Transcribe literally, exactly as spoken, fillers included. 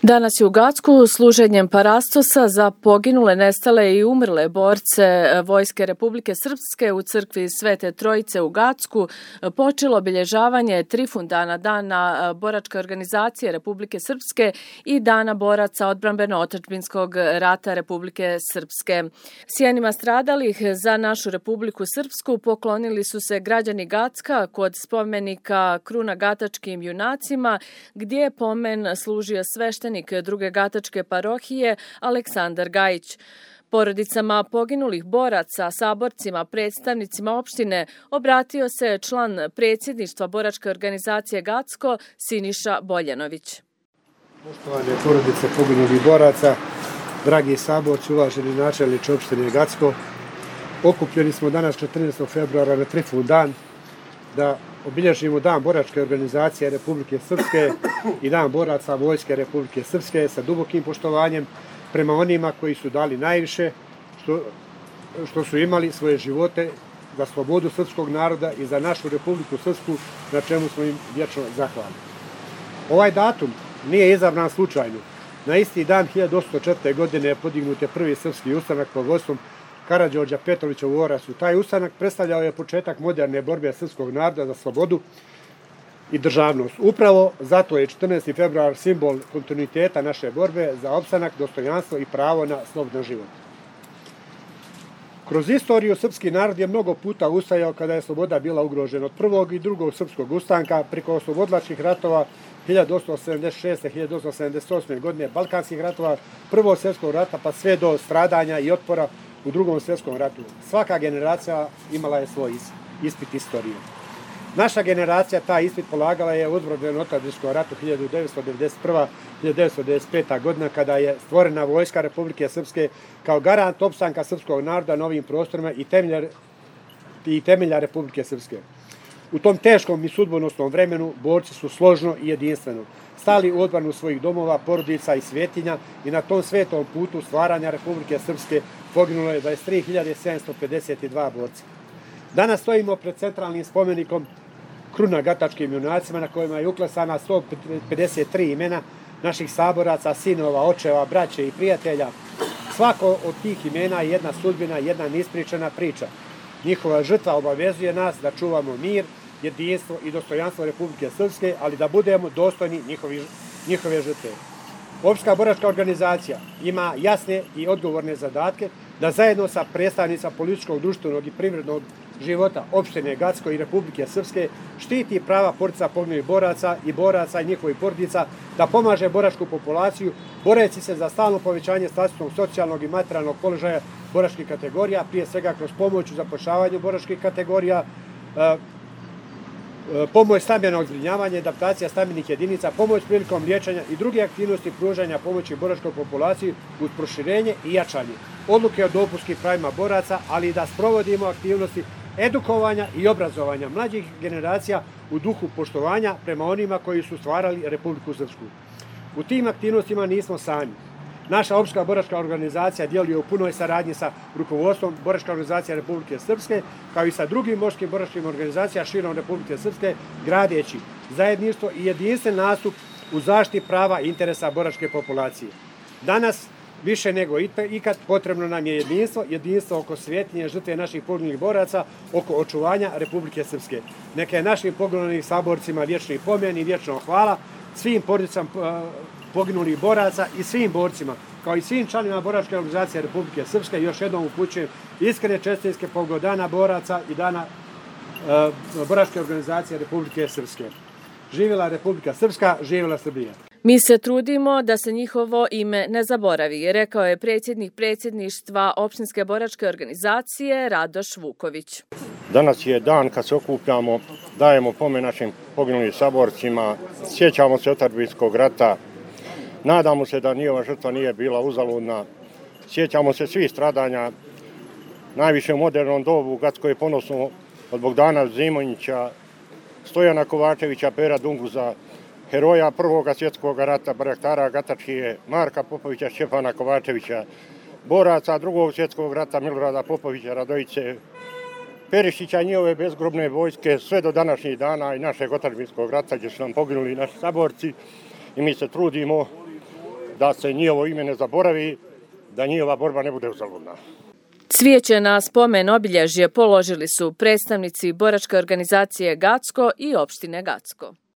Danas je u Gacku služenjem parastosa za poginule, nestale i umrle borce Vojske Republike Srpske u crkvi Svete Trojice u Gacku počelo obilježavanje Trifundana, Dana boračke organizacije Republike Srpske i Dana boraca odbrambeno-otadžbinskog rata Republike Srpske. Sjenima stradalih za našu Republiku Srpsku poklonili su se građani Gacka kod spomenika kruna gatačkim junacima, gdje je pomen služio sveštenik druge gatačke parohije Aleksandar Gajić. Porodicama poginulih boraca, saborcima, predstavnicima opštine obratio se član predsjedništva boračke organizacije Gacko Siniša Boljanović. Poštovane porodice poginulih boraca, dragi saborci, uvaženi načelniče opštine Gacko, okupljeni smo danas četrnaestog februara na Trifundan da obilježimo Dan boračke organizacije Republike Srpske i Dan boraca Vojske Republike Srpske sa dubokim poštovanjem prema onima koji su dali najviše, što, što su imali svoje živote za slobodu srpskog naroda i za našu Republiku Srpsku, na čemu smo im vječno zahvalni. Ovaj datum nije izabran slučajno. Na isti dan hiljadu osamsto četvrte. godine je podignut je prvi srpski ustanak pod vodstvom Karađorđa Petrovića u Orasu. Taj ustanak predstavljao je početak moderne borbe srpskog naroda za slobodu i državnost. Upravo zato je četrnaesti februar simbol kontinuiteta naše borbe za opstanak, dostojanstvo i pravo na slobodan život. Kroz istoriju srpski narod je mnogo puta ustajao kada je sloboda bila ugrožena. Od prvog i drugog srpskog ustanka preko oslobodilačkih ratova hiljadu osamsto sedamdeset šeste. hiljadu osamsto sedamdeset osme. godine, balkanskih ratova, prvog svjetskog rata pa sve do stradanja i otpora u drugom svjetskom ratu. Svaka generacija imala je svoj ispit istorije. Naša generacija taj ispit polagala je u odbrambeno-otadžbinskom ratu hiljadu devetsto devedeset prve. do hiljadu devetsto devedeset pete. godina kada je stvorena Vojska Republike Srpske kao garant opstanka srpskog naroda na ovim prostorima i temelja, i temelja Republike Srpske. U tom teškom i sudbonosnom vremenu borci su složno i jedinstveno stali u odbranu svojih domova, porodica i svetinja i na tom svetom putu stvaranja Republike Srpske poginulo je dvadeset tri hiljade sedamsto pedeset dva borca. Danas stojimo pred centralnim spomenikom kruna gatačkim junacima na kojima je uklesana sto pedeset tri imena naših saboraca, sinova, očeva, braće i prijatelja. Svako od tih imena je jedna sudbina, jedna neispričana priča. Njihova žrtva obavezuje nas da čuvamo mir, jedinstvo i dostojanstvo Republike Srpske, ali da budemo dostojni njihovi, njihove žrtve. Opšta boračka organizacija ima jasne i odgovorne zadatke da zajedno sa predstavnicima političkog, društvenog i privrednog života opštine Gacko i Republike Srpske štiti prava porodica poginulih boraca i boraca i njihovih porodica, da pomaže boračku populaciju, boreći se za stalno povećanje statusnog, socijalnog i materijalnog položaja boračkih kategorija, prije svega kroz pomoć u zapošljavanju boračkih kategorija, pomoć stambenog zbrinjavanja, adaptacija stambenih jedinica, pomoć prilikom liječenja i druge aktivnosti pružanja pomoći boračkoj populaciji uz proširenje i jačanje odluke o dopunskim pravima boraca, ali i da sprovodimo aktivnosti edukovanja i obrazovanja mlađih generacija u duhu poštovanja prema onima koji su stvarali Republiku Srpsku. U tim aktivnostima nismo sami. Naša opšta boračka organizacija djeluje u punoj saradnji sa rukovodstvom Boračke organizacije Republike Srpske, kao i sa drugim boračkim boračkim organizacijama širom Republike Srpske, gradeći zajedništvo i jedinstven nastup u zaštiti prava i interesa boračke populacije. Danas, više nego ikad, potrebno nam je jedinstvo, jedinstvo oko svetinje žrtve naših poginulih boraca, oko očuvanja Republike Srpske. Neka je našim poginulih saborcima vječni pomen i vječno hvala, svim porodicama poginulih boraca i svim borcima, kao i svim članovima Boračke organizacije Republike Srpske. Još jednom upućujem iskrene čestitke povodom Dana boraca i Dana uh, Boračke organizacije Republike Srpske. Živjela Republika Srpska, živjela Srbija. Mi se trudimo da se njihovo ime ne zaboravi, rekao je predsjednik predsjedništva opštinske boračke organizacije Radoš Vuković. Danas je dan kad se okupljamo, dajemo pomen našim poginulim saborcima, sjećamo se otadžbinskog rata, nadamo se da njihova žrtva nije bila uzaludna, sjećamo se svih stradanja, najviše u modernom dobu u Gacko je ponosno od Bogdana Zimonjića, Stojana Kovačevića, Pera Dunguza, heroja Prvog svjetskog rata, Baraktara Gatačije, Marka Popovića, Šćepana Kovačevića, boraca Drugog svjetskog rata, Milorada Popovića, Radojice, Perišića i njihove bezgrobne vojske, sve do današnjih dana i našeg otadžbinskog rata gdje su nam poginuli naši saborci i mi se trudimo da se njihovo ime ne zaboravi, da njihova borba ne bude uzaludna. Cvijeće na spomen obilježje položili su predstavnici boračke organizacije Gacko i opštine Gacko.